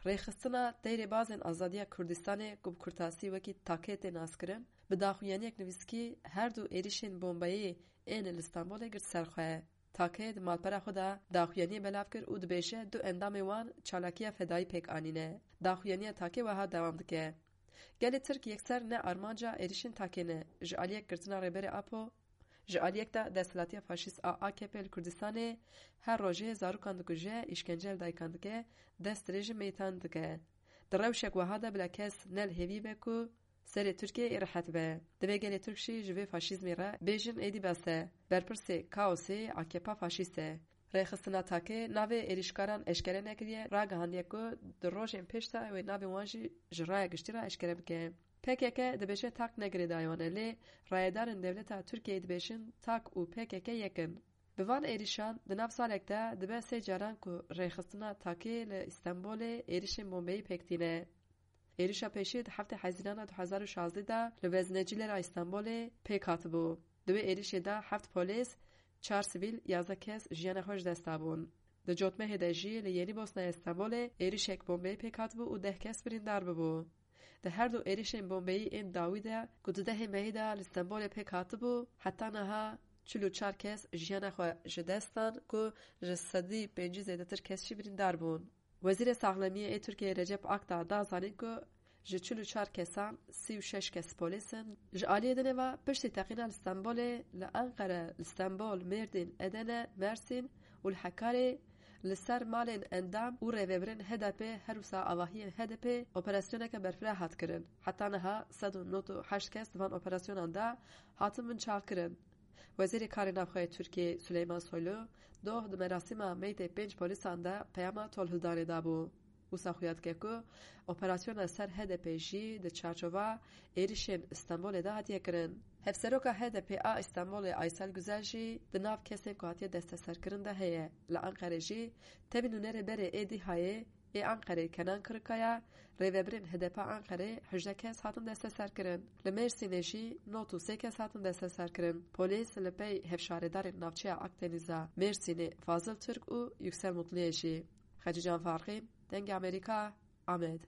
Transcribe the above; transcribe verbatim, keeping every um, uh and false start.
Rêxistina Teyrê Bazên Azadiya Kurdistanê, ku bi kurtasî wekî TAKê tê naskirin, bi daxuyaniyek nivîskî her du êrişên bombeyê ên li Stenbolê girt ser xwe. TAKê di malpera xwe de daxuyaniyê belav kir û dibêje du endamê wan çalakiya fedayî pêk anîne. Daxuyaniya TAKê wiha dewam dike. Gelê Tirk yekser ne armanca êrişên TAKê ne. Ji aliyek girtina Rêberê Apo, ji aliyek de desthilatiya faşîst a AKP li Kurdistanê her rojê zarokan dikuje, îşkence li dayikan dike, dest dirêjî meytan dike. Di rewşek wiha de bila kes ne li hêvî be ku serê Tirkiyeyê rehet be. Divê gelê Tirk jî ji vê faşîzmê re bêjin êdî bes e. Berpirsê kaosê AKP faşîst e. Rêxistina TAKê navê êrîşkaran eşkere nekiriye, ragihandiye ku di rojên pêş de wê navê wan jî ji raya giştî re eşkere bike. PKK dibêje TAK ne girêdayî wan e, lê rayedarên dewleta Tirkiyeyê dibêjin TAK û PKK yek in. Bi van êrîşan di nav salek de dibe sê caran ku rêxistina TAKê li Stenbolê êrişên bombeyî pêk tîne. Êrişa pêşî di heftê Hezîrana du hezar û şazdeh de li veznecîlera Stenbolê pêk hatibû. Di wê êrişê de heft polîs, çar sivîl, yazdeh kes jiyana xwe ji dest dabûn. Di cotmehê de jî li Yenîbosnaya Stenbolê êrişek bombeyî pêk hatibû û deh kes birîndar bibû. Di her du êrişên bombeyî ên dawî de ku di dehê mehî de li Stenbolê pêk hatibû, heta niha çil û çar kes jiyana xwe ji dest dan ku ji sedî pêncî zêdetir kes jî birîndar bûn. Wezîrê Saxlemiyê ê Tirkiyeyê Recep Akdağ da zanîn ku ji çil û çar kesan sî û şeş kes polîs in. Ji aliyê dinê ve piştî teqîna li Stenbolê, li Enqere, li Stenbol, Mêrdîn, Edene, Mersîn û li Hekarê li ser malên endam û rêvebirên H D P her wisa avahiyên H D P operasyoneke berfireh hat kirin. Heta niha sed û nod û heşt kes di van operasyonan de hatin binçavkirin. Wezîrê Karê Navxwe yê Tirkiyê Suleyman Soylu doh di merasîma meytê pênc polîsan de peyama tolhildanê dabû. Wisa xuya dike ku operasyona ser H D P jî di çarçova êrişên Stenbolê de hatiye kirin. Hevseroka H D P a Stenbolê Aysel Güzel jî di nav kesên ku hatiye desteserkirin de heye. Li Enqerê jî tevî nûnerê berê ê DÎHAyê ê Enqerê Kenan Kırıkkaya, rêvebirên H D P a Enqerê hejdeh kes hatin desteserkirin. Li Mêrsînê jî nod û sê kes hatin desteserkirin. Polîs li pey hevşaredarên navçeya Akdenîza Mêrsînê Fazıl Türk û Yüksel Mutluyê jî. Xecîcan Farqîn, Dengê Amerîka, Amed.